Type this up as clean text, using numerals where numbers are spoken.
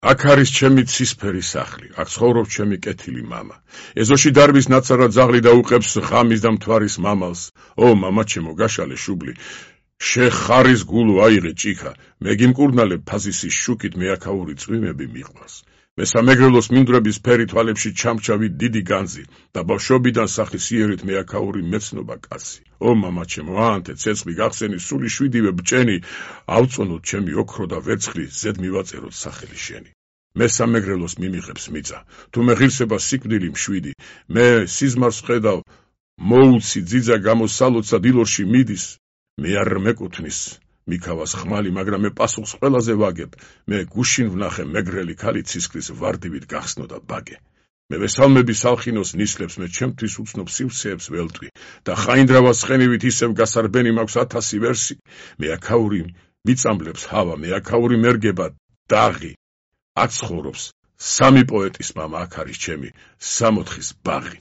აქ არის ჩემი ცისფერი სახლი, აქ ცხოვრობს ჩემი კეთილი მამა. ეზოში დარბის ნაცარად ძაღლი და უყებს ღამის და მთვარის მამალს. ო მამა ჩემო, გაშალე შუბლი, შეხარის გულო აიღე ჭიქა, მე გიმკურნალებ ფაზისის შუქით მეაქაური წვიმები მიყვარს. მე სამეგრელოს მინდვრების ფერი თვალებში ჩამჩავი დიდი განძი და ბავშვობიდან სახის იერით მეაქაური მეცნობა კაცი. ო მამა ჩემო, აანთე ცეცხლი გახსენი სული 7-ვე ბჭენი, ავწონოთ ჩემი ოქრო და ვერცხლი, ზედ მივაწეროთ სახელი შენი. მე სამეგრელოს მიმიღებს მიწა, თუ მე ღირსება სიკვდილი მშვიდი, მე სიზმარს ხედავ, მოუცი ძიძა გამოსალოცა დილორში მიდის, მე არ მეკუთვნის მიქავას ხმალი, მაგრამ მე პასუხს ყველაზე ვაგებ, მე გუშინ ვნახე მეგრელი ქალი ცისკრის ვარდივით გახსნო და ბაგე. მე ვესალმები სალხინოს ნისლებს, მე ჩემთვის უცნობ სივსეებს ველტვი და ხაინდრავას ცხენივით ისევ გასარბენი მაქვს 1000 ვერსი. მე აქაური მიწამლებს ჰავა, მე აქაური მერგება დაღი. აქ ცხოვრობს 3 პოეტის მამა, აქ არის ჩემი 64-ის ბაღი.